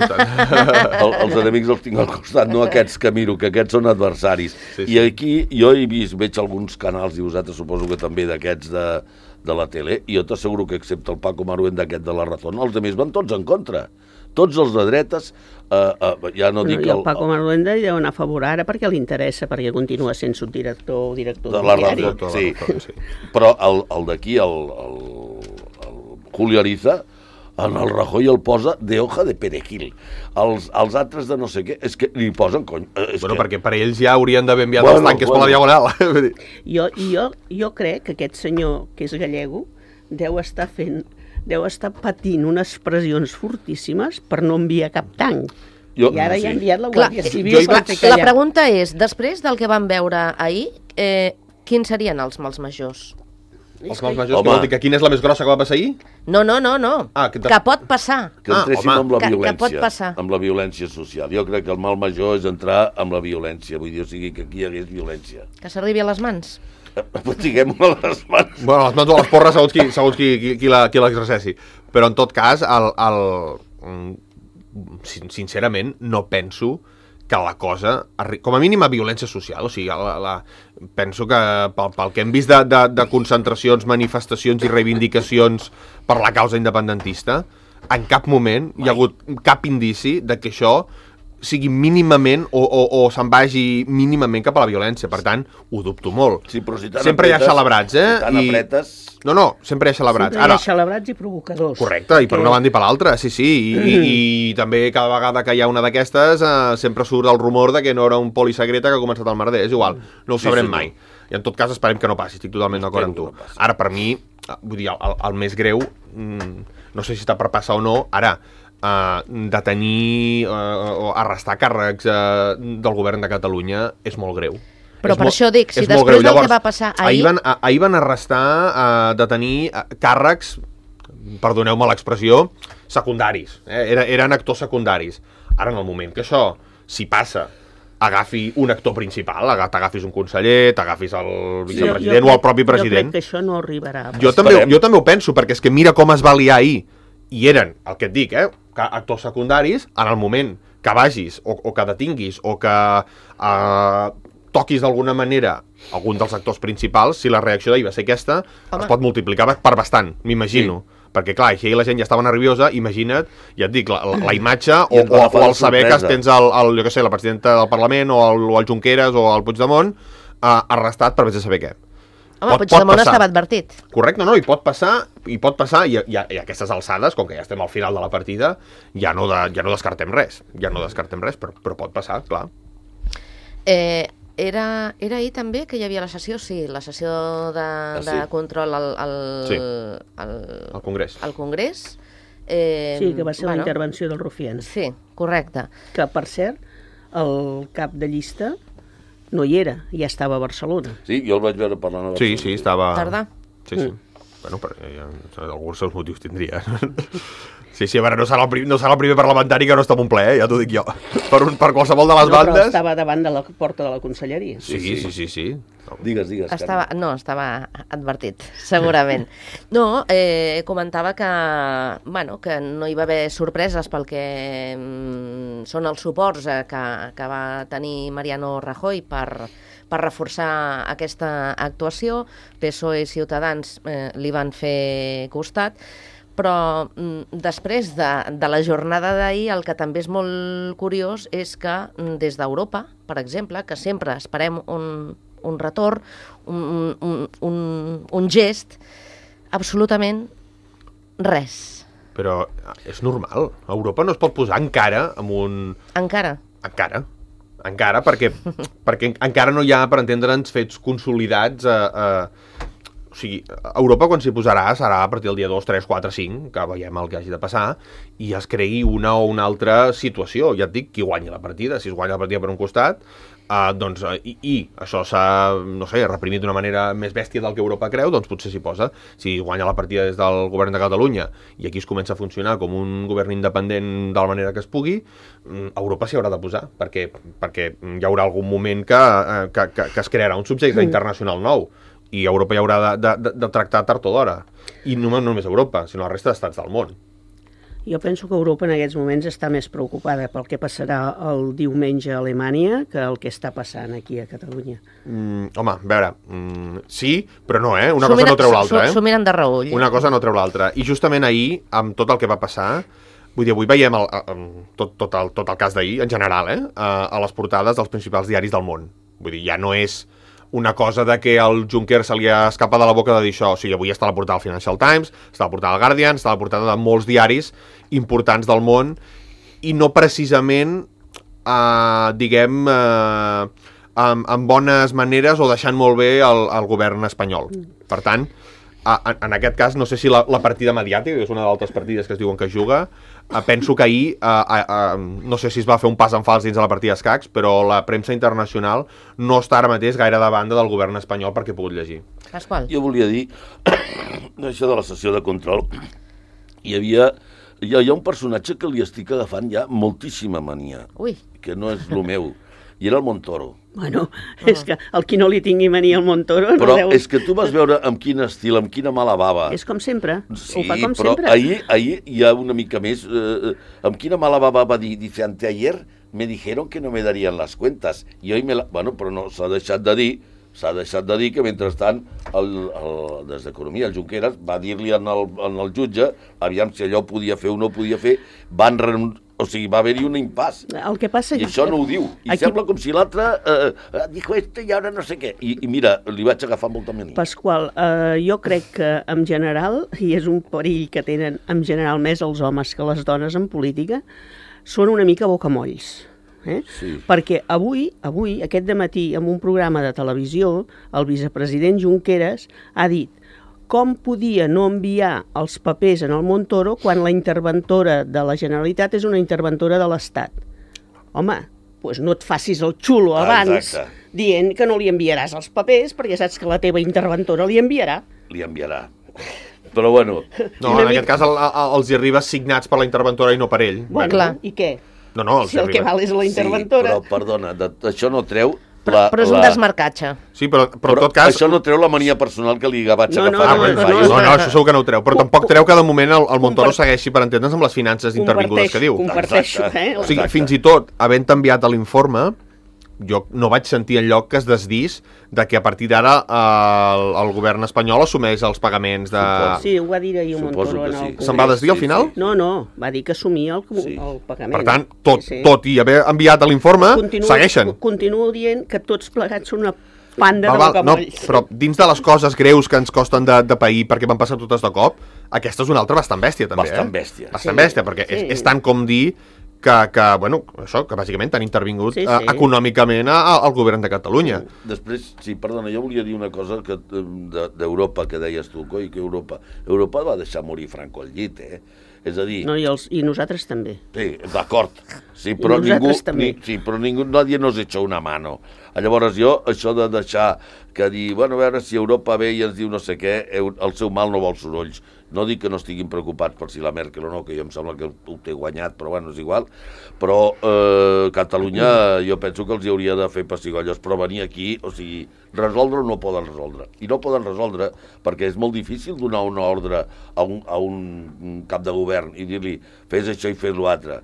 el, els enemics els tinc al costat, no aquests que miro, que aquests són adversaris. Sí, sí. I aquí jo he vist, veig alguns canals, i vosaltres suposo que també d'aquests de, de la tele, i jo t'asseguro que excepte el Paco Maruén d'aquest de la Razón, els altres van tots en contra. tots els de dretes, eh, eh, ja no Bueno, dic... I el Paco Marulenda hi deu anar a favor ara perquè li interessa, perquè continua sent subdirector o director de del la diari. ràdio, sí. sí. Però el, el d'aquí, el, el, el Julio Ariza, en el Rajoy el posa de hoja de perejil. Els, els altres de no sé què, és que li posen cony. És Bueno, que... perquè per ells ja haurien d'haver enviat Bueno, els tanques bueno. per la diagonal. Jo, jo, jo crec que aquest senyor, que és gallego, deu estar fent, deu estar patint unes pressions fortíssimes per no enviar cap tanc. Jo- I ara sí. ja ha enviat la Clar, Guàrdia jo Civil hi per vaig- fer La callar. pregunta és, després del que vam veure ahir, eh, quins serien els mals majors? Els mals majors, Home. que vol dir que quina és la més grossa que va passar ahir? No, no, no, no. Ah, que que, te- pot passar. que Ah, entréssim home. amb la Que- que violència, pot passar. amb la violència social. Jo crec que el mal major és entrar amb la violència, vull dir, o sigui, que aquí hi hagués violència. Que s'arribi a les mans. Diguem-ho a les mans. Bueno, les mans o les porres, segons qui, segons qui, qui, qui la- qui l'exerceixi. Però en tot cas, el, el, mm, sin- sincerament, no penso que la cosa, arri- com a mínim a violència social, o sigui, la, la, penso que pel, pel que hem vist de, de, de concentracions, manifestacions i reivindicacions per la causa independentista, en cap moment hi ha hagut cap indici de que això sigui mínimament o, o, o se'n vagi mínimament cap a la violència. Per tant, ho dubto molt. Sí, però si tan Sempre hi ha apretes- celebrats, eh? Si tan I- apretes... No, no, sempre hi ha celebrats. Sempre hi ha Ara, celebrats i provocadors. correcte, i per Que- una banda i per l'altra, sí, sí, i, i, i també cada vegada que hi ha una d'aquestes eh, sempre surt el rumor de que no era un polisecreta que ha començat el merder, és igual, no ho Sí, sabrem senyor. mai. I en tot cas esperem que no passi, estic totalment d'acord amb tu. Espero que no passi. Ara, per mi, eh, vull dir, el, el més greu, mm, no sé si està per passar o no, ara, eh, detenir eh, o arrestar càrrecs eh, del govern de Catalunya és molt greu. Però És per molt- això dic, si és molt després greu. del que Llavors, va passar ahir- ahir van, a- ahir van arrestar, eh, detenir eh, càrrecs, perdoneu-me l'expressió, secundaris. Eh? Era, eren actors secundaris. Ara, en el moment que això, si passa, agafi un actor principal, aga- t'agafis un conseller, t'agafis el vicepresident o el propi Jo crec president. que això no arribarà. a Jo passar. també, Esperem. jo també ho penso, perquè és que mira com es va liar ahir. I eren, el que et dic, eh, que actors secundaris, en el moment que vagis o, o que detinguis o que eh, toquis d'alguna manera algun dels actors principals, si la reacció d'ahir va ser aquesta, Home. es pot multiplicar per bastant, m'imagino. Sí. Perquè, clar, així la gent ja estava nerviosa, imagina't, ja et dic, la, la, la imatge o, I ens va o, agafar o de el saber que sorpresa. tens el, el, jo què sé, la presidenta del Parlament o el, o el Junqueras o el Puigdemont eh, arrestat per vés a saber què. Home, Pot- pot Puigdemont passar. estava advertit. Correcte, no, i pot passar, i pot passar, i, i, i a aquestes alçades, com que ja estem al final de la partida, ja no, de, ja no descartem res, ja no descartem res, però, però pot passar, clar. Eh, era, era ahir també que hi havia la sessió, sí, la sessió de, Ah, sí? de control al, al, Sí. al, Al Congrés. al Congrés. Eh, Sí, que va ser bueno, la intervenció del Rufián. Sí, correcte. Que, per cert, el cap de llista no hi era, ja estava a Barcelona. Sí, jo el vaig veure parlant a Sí, Barcelona. sí, estava... Tardà. Sí, sí. Bueno, però ja, alguns seus motius tindria. Sí, sí, a veure, no serà el, prim, no serà el primer parlamentari que no està en un ple, eh? Ja t'ho dic jo. Per, un, per qualsevol de les No, però bandes... estava davant de la porta de la conselleria. Sí, sí, sí, sí, sí. Digues, digues. Estava, no, estava advertit, segurament. No, eh, comentava que, bueno, que no hi va haver sorpreses pel que mm, són els suports eh, que, que va tenir Mariano Rajoy per, per reforçar aquesta actuació. P S O E i Ciutadans eh, li van fer costat, però mm, després de, de la jornada d'ahir el que també és molt curiós és que mm, des d'Europa, per exemple, que sempre esperem un, un retorn, un, un, un, un gest, absolutament res. Però és normal. Europa no es pot posar encara amb un... Encara. Encara. Encara, perquè, perquè encara no hi ha, per entendre'ns, fets consolidats a... a o sigui, Europa quan s'hi posarà serà a partir del dia dos, tres, quatre, cinc, que veiem el que hagi de passar, i es cregui una o una altra situació. Ja et dic, qui guanya la partida. Si es guanya la partida per un costat, eh, doncs, eh, i, i això s'ha, no sé, reprimit d'una manera més bèstia del que Europa creu, doncs potser s'hi posa. Si guanya la partida des del govern de Catalunya i aquí es comença a funcionar com un govern independent de la manera que es pugui, Europa s'hi haurà de posar, perquè, perquè hi haurà algun moment que, eh, que, que, que es crearà un subjecte internacional nou, i Europa hi haurà de, de, de, de tractar tard o d'hora. I no, no només Europa, sinó la resta d'estats del món. Jo penso que Europa en aquests moments està més preocupada pel que passarà el diumenge a Alemanya que el que està passant aquí a Catalunya. Mm, home, a veure, mm, sí, però no, eh? Una S'ho cosa mira- no treu l'altra, s'ho- eh? S'ho miren de reull. Una cosa no treu l'altra. I justament ahir, amb tot el que va passar, Vull dir, avui veiem el, el, tot, tot, el, tot el cas d'ahir, en general, eh? a, a les portades dels principals diaris del món. Vull dir, ja no és una cosa de que al Juncker se li ha escapat de la boca de dir això. O sigui, avui està a la portada del Financial Times, està a la portada del Guardian, està a la portada de molts diaris importants del món, i no precisament, eh, diguem, eh, amb, amb bones maneres o deixant molt bé el, el govern espanyol. Per tant, en, en aquest cas, no sé si la, la partida mediàtica, que és una d'altres partides que es diuen que es juga, eh, penso que ahir, eh, eh, no sé si es va fer un pas en fals dins de la partida d'escacs, però la premsa internacional no està ara mateix gaire de banda del govern espanyol perquè he pogut llegir. Pasqual. Jo volia dir, això de la sessió de control, hi havia... Hi ha, hi ha un personatge que li estic agafant ja moltíssima mania, Ui. que no és lo meu, i era el Montoro. Bueno, és que el qui no li tingui mania al Montoro... Però no deu... és que tu vas veure amb quin estil, amb quina mala bava. És com sempre, Sí, ho fa com però sempre. ahir, ahir hi ha una mica més... Eh, amb quina mala bava va dir, dice, anteayer me dijeron que no me darían las cuentas. I hoy me la... Bueno, però no, s'ha deixat de dir, s'ha deixat de dir que mentrestant el, el, des d'Economia, el Junqueras, va dir-li en el, en el jutge, aviam si allò podia fer o no podia fer, van renunciar. O sigui, va haver-hi un impàs. El que passa... I això no ho diu. I Aquí... sembla com si l'altre eh, dijo este i ara no sé què. I, I mira, li vaig agafar molta mania. Pasqual, eh, jo crec que en general, i és un perill que tenen en general més els homes que les dones en política, són una mica bocamolls. Eh? Sí. Perquè avui, avui, aquest dematí, en un programa de televisió, el vicepresident Junqueras ha dit com podia no enviar els papers en el Montoro quan la interventora de la Generalitat és una interventora de l'Estat. Home, doncs no et facis el xulo abans Exacte. dient que no li enviaràs els papers perquè saps que la teva interventora li enviarà. Li enviarà. Però bueno, No, en aquest cas el, el, els hi arriba signats per la interventora i no per ell. Bueno, clar. i què? No, no, els Si hi el que arriba. val és la sí, interventora... però perdona, de, això no treu... Però, la, però és un la... desmarcatge. Sí, però, però, Però en tot cas... això no treu la mania personal que li vaig No, no, agafar. Ah, no, bueno, no, no, no, no, no, això segur que no ho treu, però Com- tampoc treu que de moment el, el Montoro Compart- segueixi, per entendre's, amb les finances intervingudes que diu. Comparteixo, Exacte. eh? O sigui, Exacte. fins i tot, havent enviat l'informe, jo no vaig sentir enlloc que es desdís de que a partir d'ara el, el govern espanyol assumeix els pagaments de... Sí, ho va dir ahir un Suposo Montoro que en el sí. Congrés. Se'n va desdir al Sí, final? sí. No, no, va dir que assumia el, Sí. el pagament. Per tant, tot, Sí, sí. tot i haver enviat l'informe, Continuo- segueixen. Continuo dient que tots plegats són una panda Val, de val, no, bocamolls. però dins de les coses greus que ens costen de, de pair perquè van passar totes de cop, aquesta és una altra bastant bèstia, també. Bastant eh? bèstia. Bastant Sí, bèstia, perquè és, sí. és tant com dir que, que, bueno, això, que bàsicament t'han intervingut Sí, eh, sí. econòmicament a- a- al govern de Catalunya. Després, sí, perdona, jo volia dir una cosa que eh, de- d'Europa, que deies tu, coi, que Europa... Europa va deixar morir Franco al llit, eh? És a dir, No, i, els, i nosaltres també. sí, d'acord, sí, però I ningú, nosaltres també. ni, sí, però ningú, nadie nos echó una mano. Llavors jo, això de deixar que dir, bueno, a veure si Europa ve i ens diu no sé què, eu- el seu mal no vol sorolls. No dic que no estiguin preocupats per si la Merkel o no, que jo em sembla que ho té guanyat, però bueno, és igual. Però eh, Catalunya jo penso que els hi hauria de fer pessigolles, però venir aquí, o sigui, resoldre no poden resoldre. I no poden resoldre perquè és molt difícil donar una ordre a un, a un cap de govern i dir-li fes això i fes l'altre.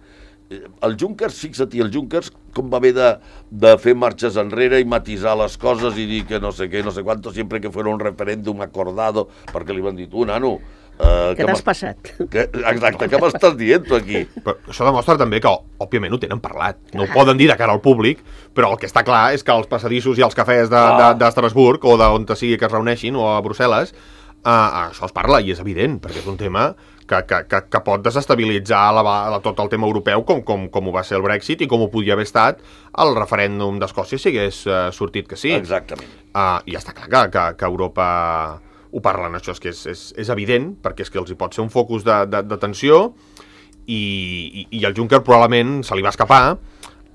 El Junckers, fixa't, i el Junckers com va haver de, de fer marxes enrere i matisar les coses i dir que no sé què, no sé quanto, sempre que fuera un referèndum acordado, perquè li van dir, tu, nano... Eh, Què t'has m'has- passat? Que, exacte, què m'estàs dient tu aquí? Però això demostra també que, òbviament, ho tenen parlat. No ho poden dir de cara al públic, però el que està clar és que els passadissos i els cafès de, de, d'Estrasburg o d'on sigui que es reuneixin, o a Brussel·les, eh, això es parla i és evident, perquè és un tema que, que, que, que pot desestabilitzar la, la, tot el tema europeu com, com, com ho va ser el Brexit i com ho podia haver estat el referèndum d'Escòcia si hagués uh, sortit que sí. Exactament. Uh, I està clar que, que, que Europa ho parlen, això és que és, és, és evident, perquè és que els hi pot ser un focus de, de, de tensió i, i, i el Juncker probablement se li va escapar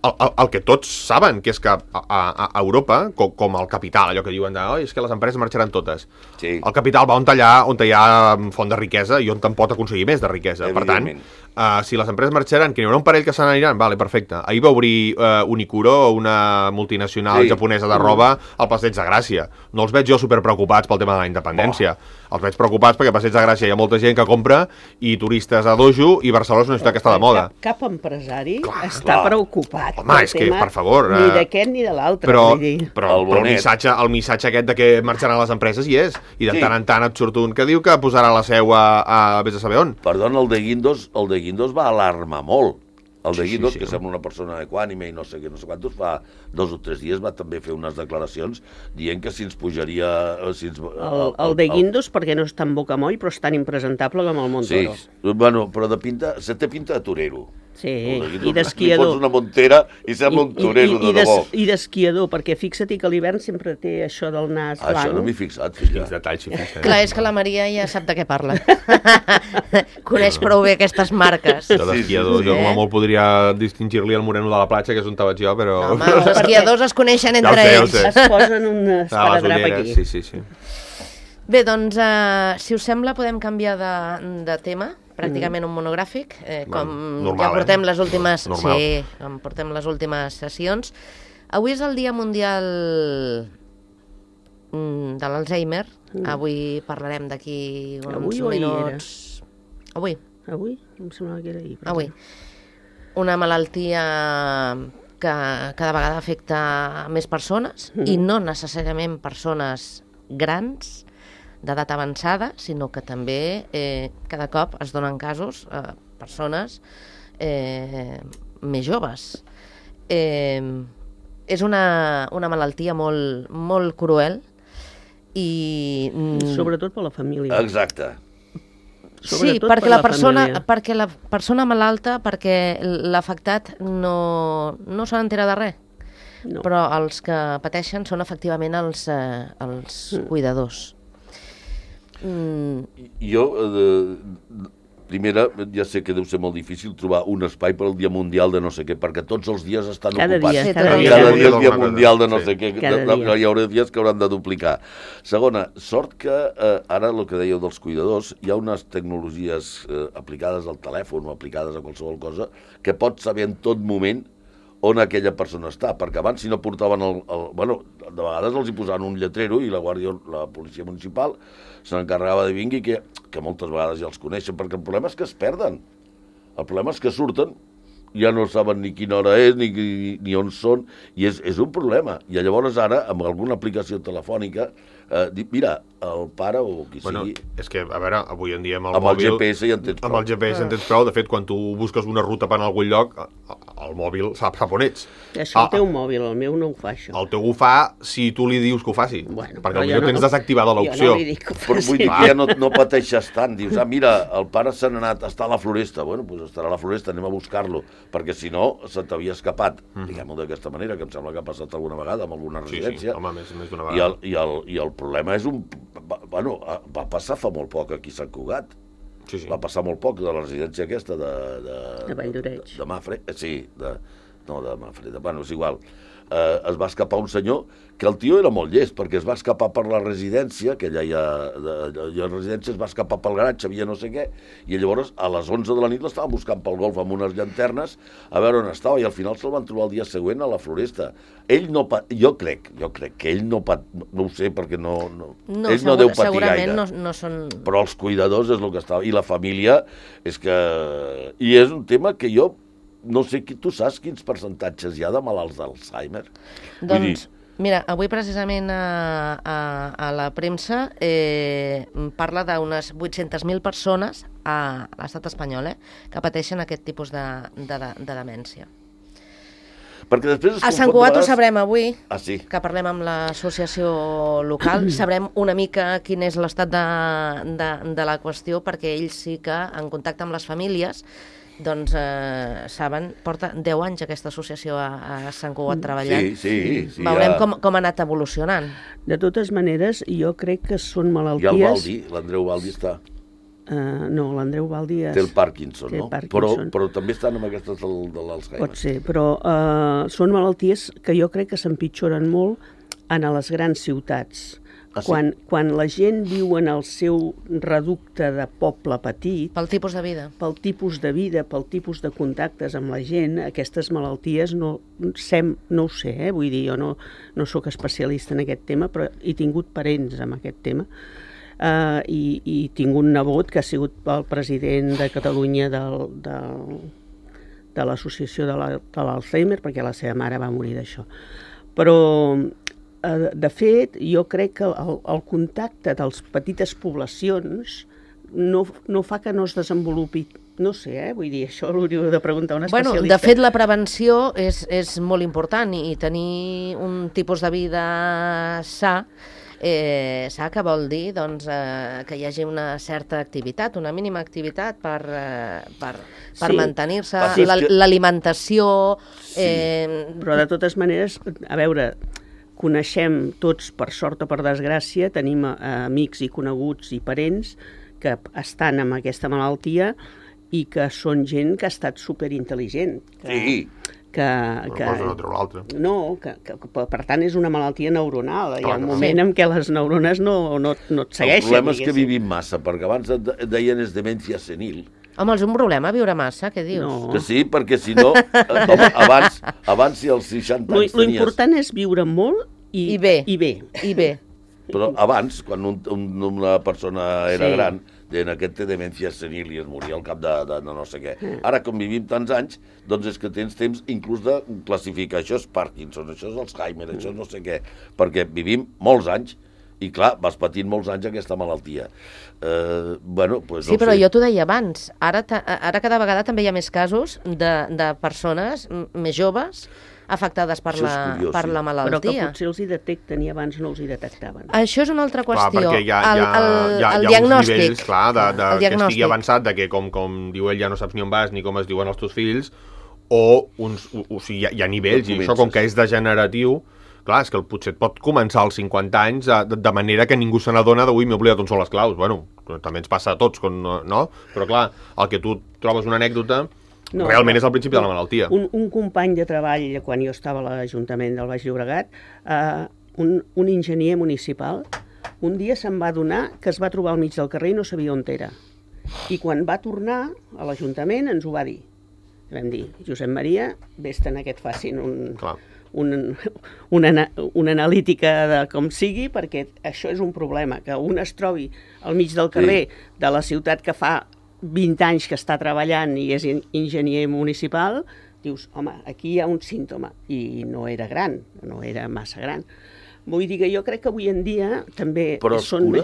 el, el, el que tots saben, que és que a, a, a Europa, com, com el capital, allò que diuen de, oh, és que les empreses marxaran totes. Sí. El capital va on allà, on hi ha font de riquesa i on te'n pot aconseguir més de riquesa. Per tant, uh, si les empreses marxaran, que n'hi haurà un parell que se n'aniran, vale, perfecte. Ahir va obrir uh, Unicuro, una multinacional Sí. japonesa de roba, al Passeig de Gràcia. No els veig jo superpreocupats pel tema de la independència. Oh. Els veig preocupats perquè a Passeig de Gràcia hi ha molta gent que compra i turistes a dojo i Barcelona és una ciutat que està de moda. Cap, cap empresari Clar, està clar. preocupat. Home, pel és que, tema per favor, Ni eh, d'aquest ni de l'altre. Però, vull dir. però, El però el, bonet. missatge, el missatge aquest de que marxaran les empreses hi és. I de Sí. tant en tant et surt un que diu que posarà la seu a, a vés a saber on. Perdona, el de Guindos, el de de Guindos va alarmar molt. El de Sí, sí, Guindos, sí. que sembla una persona equànime i no sé què, no sé quantos, fa dos o tres dies va també fer unes declaracions dient que si ens pujaria... Si ens, El, el de Guindos, perquè no és tan bocamoll, però és tan impresentable com el Sí, Montoro. bueno, però de pinta, se té pinta de torero. Sí, El de Guindos, i d'esquiador. Li fots una montera i sembla un torero, I, i, de debò. I d'esquiador, perquè fixa't que a l'hivern sempre té això del nas Ah, això no m'hi he blanc. fixat, filla. Quins detalls, sí, fixem. Clar, és que la Maria ja sap de què parla. Coneix prou bé aquestes marques. Jo d'esquiador, Sí, sí, sí. jo com a molt podria distingir-li el moreno de la platja, que és on vaig jo, però... No, home, els esquiadors es coneixen Ja ho entre sé, ja ho ells. sé. Es posen un Ah, les esparadrap ulleres, aquí. sí, sí, sí. Bé, doncs, uh, si us sembla, podem canviar de, de tema, pràcticament un monogràfic, eh, com normal, ja portem eh? les últimes... Normal. Sí, com portem les últimes sessions. Avui és el Dia Mundial mm, de l'Alzheimer. Avui parlarem d'aquí uns Avui o ahir minuts... Avui, Avui? Em semblava que era ahir. per avui. exemple. Una malaltia que cada vegada afecta més persones, i no necessàriament persones grans, d'edat avançada, sinó que també eh, cada cop es donen casos a persones eh, més joves. Eh, és una, una malaltia molt, molt cruel i... mm, Sobretot per la família. Exacte. Sí, Sobretot perquè per la, la persona, família. perquè la persona malalta, perquè l'afectat no, no se n'entera de res. No. Però els que pateixen són efectivament els, eh, els cuidadors. Mm, Jo, eh, primera, ja sé que deu ser molt difícil trobar un espai per al Dia Mundial de no sé què, perquè tots els dies estan Cada ocupats. dia, Sí, cada tot el dia. Cada Cada dia és dia Dia alguna Mundial de no cosa, sé sí. què, Cada de- de- dia. hi haurà dies que hauran de duplicar. Segona, sort que eh, ara el que dèieu dels cuidadors, hi ha unes tecnologies eh, aplicades al telèfon o aplicades a qualsevol cosa que pots saber en tot moment on aquella persona està, perquè abans si no portaven el... el bueno, de vegades els hi posaven un lletrero i la guàrdia, la policia municipal se n'encarregava de vingui, que, que moltes vegades ja els coneixen, perquè el problema és que es perden. El problema és que surten, ja no saben ni quina hora és, ni, ni, ni on són, i és, és un problema. I llavors ara, amb alguna aplicació telefònica, eh, dic, mira, el pare o qui Bueno, sigui... és que, a veure, avui en dia amb el Amb el mòbil... G P S ja en tens prou. Amb el G P S en tens prou. De fet, quan tu busques una ruta per anar a algun lloc, el mòbil sap, sap on ets. Això Ah, el teu mòbil, el meu no ho fa, això. El teu ho fa si tu li dius que ho faci. Bueno, perquè però potser jo no- tens desactivada l'opció. Jo no li dic que ho Però vull faci. dir que ja no, no pateixes tant. Dius, ah, mira, el pare se n'ha anat, està a la floresta. Bueno, doncs estarà a la floresta, anem a buscar-lo. Perquè si no, se t'havia escapat. Mm. Diguem-ho d'aquesta manera, que em sembla que ha passat alguna vegada amb alguna Sí, sí, residència. home, més, més d'una I, el, vegada. i, el, I el problema és un... va- Bueno, va passar fa molt poc aquí a Sant Cugat. Sí, sí. Va passar molt poc de la residència aquesta de... De, De Valldoreix. De, de Mafre, eh, sí, de, no de Mafre, de, bueno, és igual. Eh, es va escapar un senyor que el tio era molt llest, perquè es va escapar per la residència, que allà hi ha, de, de, hi ha residència, es va escapar pel garatge, havia no sé què, i llavors a les onze de la nit l'estaven buscant pel golf amb unes llanternes a veure on estava, i al final se'l van trobar el dia següent a la floresta. Ell no... Pa, jo crec, jo crec que ell no... Pa, no, no ho sé, perquè no... no no, ell no segur, deu patir segurament gaire. no, no són... Però els cuidadors és el que estava... I la família és que... I és un tema que jo no sé, qui, tu saps quins percentatges hi ha de malalts d'Alzheimer? Vull dir, Doncs, mira, avui precisament a, a, a la premsa eh, parla d'unes vuit-centes mil persones a l'estat espanyol eh, que pateixen aquest tipus de, de, de, de demència. perquè després es A Sant confon de Cugat ho vegades- sabrem avui, Ah, sí. que parlem amb l'associació local, sabrem una mica quin és l'estat de, de, de la qüestió, perquè ells sí que, en contacte amb les famílies, doncs eh, saben, porta deu anys aquesta associació a, a Sant Cugat treballant. Sí, sí, sí. Veurem ja, com, com ha anat evolucionant. De totes maneres, jo crec que són Hi ha el malalties... Baldi, l'Andreu Baldi està... Uh, no, l'Andreu Baldi és... Té el Parkinson, té el no? Parkinson. Però, però també estan amb aquestes del, de l'Alzheimer. Pot ser, però uh, són malalties que jo crec que s'empitjoren molt en a les grans ciutats. Ah, sí? quan, quan la gent viu en el seu reducte de poble petit, Pel tipus de vida. pel tipus de vida, pel tipus de contactes amb la gent, aquestes malalties no, sem, no ho sé, eh? Vull dir, jo no, no sóc especialista en aquest tema, però he tingut parents amb aquest tema. Uh, i, i tinc un nebot que ha sigut el president de Catalunya del, del, de l'associació de la- de l'Alzheimer, perquè la seva mare va morir d'això. Però, uh, de fet, jo crec que el, el contacte de les petites poblacions no, no fa que no es desenvolupi No sé, eh? Vull dir, això l'hauríeu de preguntar a un Bueno, especialista. de fet, la prevenció és, és molt important i tenir un tipus de vida sa, eh, sa que vol dir doncs, eh, que hi hagi una certa activitat, una mínima activitat per, eh, per, per Sí. mantenir-se, Sí, és la- que- l'alimentació... Sí. Eh, Però de totes maneres, a veure, coneixem tots, per sort o per desgràcia, tenim eh, amics i coneguts i parents que estan amb aquesta malaltia i que són gent que ha estat superintel·ligent. Que, Sí. Que, Una que, cosa no treu l'altra. no, que, que, que per tant és una malaltia neuronal. Hi ha Clar, un clar. moment Sí. en què les neurones no, no, no et segueixen. El problema és que diguéssim. vivim massa, perquè abans de- deien és demència senil. home, és un problema viure massa, què dius? No. Que sí, perquè si no, eh, home, abans, abans si als seixanta Lo, anys lo tenies... important és viure molt i, I bé. I bé. I bé, Però abans, quan un, un, una persona era Sí. gran, deien aquest té demència senil i es moria al cap de, de, de no sé què. Ara, com vivim tants anys, doncs és que tens temps inclús de classificar. Això és Parkinson, això és Alzheimer, això és no sé què. Perquè vivim molts anys i, clar, vas patint molts anys aquesta malaltia. Eh, bueno, pues, sí, no però sé. jo t'ho deia abans, ara, ta- ara cada vegada també hi ha més casos de, de persones m- més joves afectades per, Això és la, curiós, per sí. la Però que malaltia. potser els hi detecten i abans no els hi detectaven. Això és una altra Clar, qüestió. perquè hi ha, el, hi ha, el, hi ha, el hi ha diagnòstic. uns nivells, clar, de, de, el que diagnòstic. estigui avançat, de que com, com diu ell ja no saps ni on vas ni com es diuen els teus fills, o, uns, o, o sigui, hi ha, hi ha nivells, No i això com comences. que és degeneratiu, clar, és que el potser et pot començar als cinquanta anys de, de manera que ningú se n'adona de, ui, m'he oblidat on són les claus. Bueno, també ens passa a tots, com, no? Però clar, el que tu trobes una anècdota, No, realment no. és el principi de la malaltia. Un, un company de treball, quan jo estava a l'Ajuntament del Baix Llobregat, eh, un, un enginyer municipal, un dia se'n va adonar que es va trobar al mig del carrer i no sabia on era. I quan va tornar a l'Ajuntament ens ho va dir. Vam dir, Josep Maria, vés-te'n a que et facin un, Clar. un, una, una analítica de com sigui, perquè això és un problema, que un es trobi al mig del carrer de la ciutat que fa vint anys que està treballant i és enginyer municipal, dius, home, aquí hi ha un símptoma, i no era gran, no era massa gran. Vull dir que jo crec que avui en dia també... Però es són cura?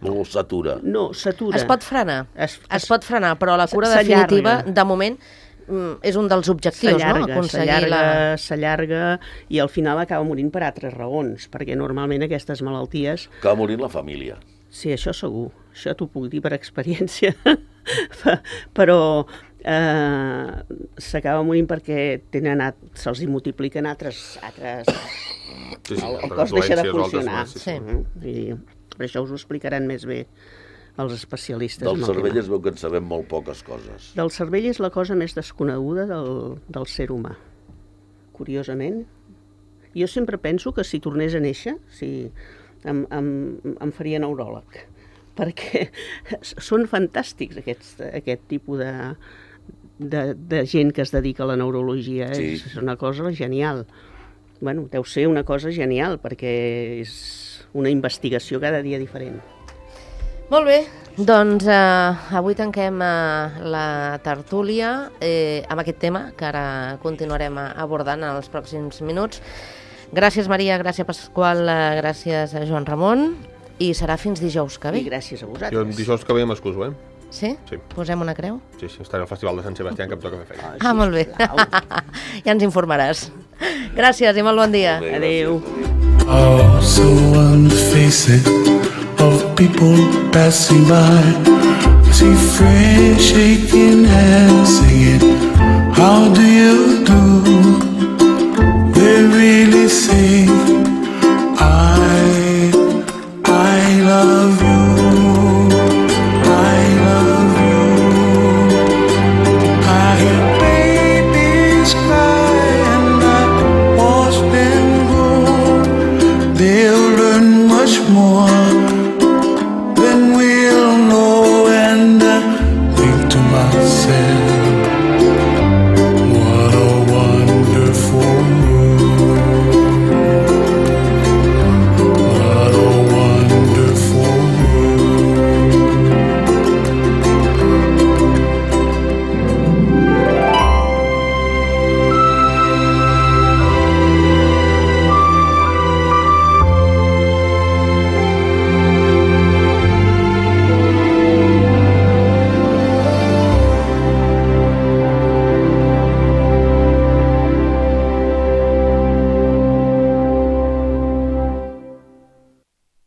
me- O s'atura? No, s'atura. Es pot frenar, es, Es- es pot frenar, però la cura s'allarga. definitiva, de moment, mm, és un dels objectius, no? S'allarga, Aconseguir s'allarga, la... s'allarga, i al final acaba morint per altres raons, perquè normalment aquestes malalties... Que va morir la família. Sí, això segur, això t'ho puc dir per experiència, però eh, s'acaba morint perquè tenen at- se'ls hi multipliquen altres... altres Sí, sí, el, el altres cos deixa de doències o altres funcionar. coses, sí. Mhm. I per això us ho explicaran més bé els especialistes. Del en el cervell tema. es veu que en sabem molt poques coses. Del cervell és la cosa més desconeguda del, del ser humà, curiosament. Jo sempre penso que si tornés a néixer, si em, em, em faria neuròleg, perquè són fantàstics aquests, aquest tipus de, de, de gent que es dedica a la neurologia. Sí. És, és una cosa genial. Bueno, deu ser una cosa genial, perquè és una investigació cada dia diferent. Molt bé, doncs eh, avui tanquem eh, la tertúlia eh, amb aquest tema que ara continuarem eh, abordant en els pròxims minuts. Gràcies, Maria, gràcies, Pasqual, eh, gràcies a Joan Ramon, i serà fins dijous que ve. I gràcies a Jo vosaltres. dijous que ve m'excuso, eh? Sí? Sí. Posem una creu? Sí, sí, estaré al Festival de Sant Sebastià, que em toca fer feina. Ah, molt bé. Ja ens informaràs. Gràcies i molt bon dia. Molt bé, Adéu. gràcies. Oh, so unfacing of people passing by. See friends shaking hands, singing, how do you do? They really say